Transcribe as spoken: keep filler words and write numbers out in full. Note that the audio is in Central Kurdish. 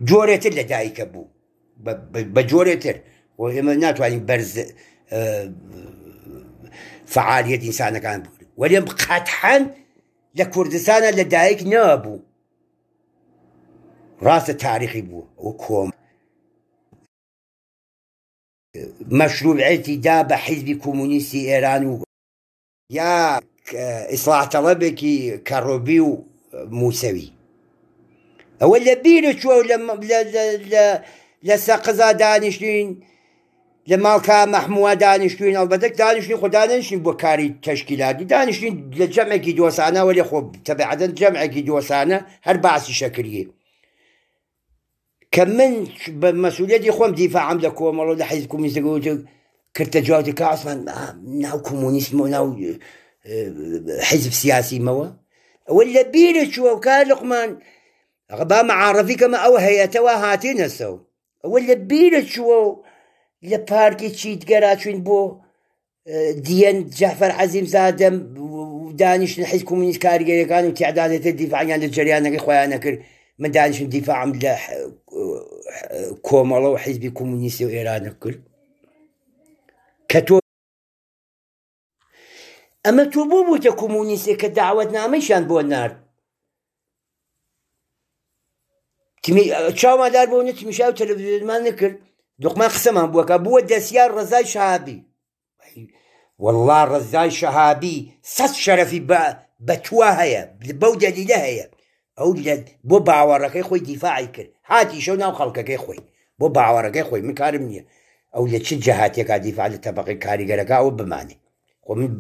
جۆرێتر لە دایکە بوو، بە جۆرێتر. و ئێمە ناتوانین بەرز فعالیەت ئینسانەکان بگرن، وەلێم قەتحەن لە کوردستانە لە دایک نەبوو. ڕاستە تاریخی بوو ئەو کۆم مەشروعێتی دا بە حیزبی کۆمۆنیستی ئێران و یا ئیسلاح تەڵەبێکی کەڕۆبی و موسەوی. ئەوە لە بیرە چووە لە سەقزا دانیشتین، لە ماڵکا مەحمووە دانیشتوین. ئەڵبەتە دانیشتین خۆ دانیشتین بۆ کاری تەشکیلاتی، دانیشتین لە جەمعێکی دۆسانە، وەلێ خۆ تەبعەتەن جەمعێکی دۆسانە هەر باسی شەکریە. کە من بە مەسئولیەتی خۆم دیفاعم لە کۆمەڵ و لە حیزب کۆمۆنیستەکە وت کردە جوابی کە عوسمان ناو کۆمۆنیسم و ناو حیزب سیاسیمەوە. ئەوە لە بیرە چووە و کار لقمان با معارفی کەمە ئەو هەیەتەوە هاتینەسەوە. ئەوە لە بیرە چووە و لە پارکی چیتگەرا چوین بۆ دیەن جەعفەر عەزیم زادەم دانیشتن حیزب کۆمۆنیست کاریگەریەکان و تیعدادێتە دیفاعیان لە جەریانەکەی خۆیان نەکرد. من دانیشتم دیفاعم لە کۆمەڵە و حیزبی کۆمۆنیستی و ئێرانە کرد کە تۆ ئەمە تۆ بۆ بوویتە کۆمۆنیستێک کە داوەتنامەیشیان بۆ نارد. چاومان دار بۆ نەتمیشا و تەلەڤیزیۆنمان نەکرد، دوقمان قسەمان بووەکە بووە دەستیار ڕەزای شەهابی. والله ڕەزای شەهابی سەد شەرەفی بە توا هەیە، بەو دەلیلە هەیە. ئەو بۆ باوەڕەکەی خۆی دیفاعی کرد، هاتیشەو ناو خەڵکەکەی خۆی بۆ باوەڕەکەی خۆی. من کارم نییە ئەو لە چ جەهاتێکا دیفاع لە تەبەقەی کاریگەرەکە ئەوە بمانێ. خۆ من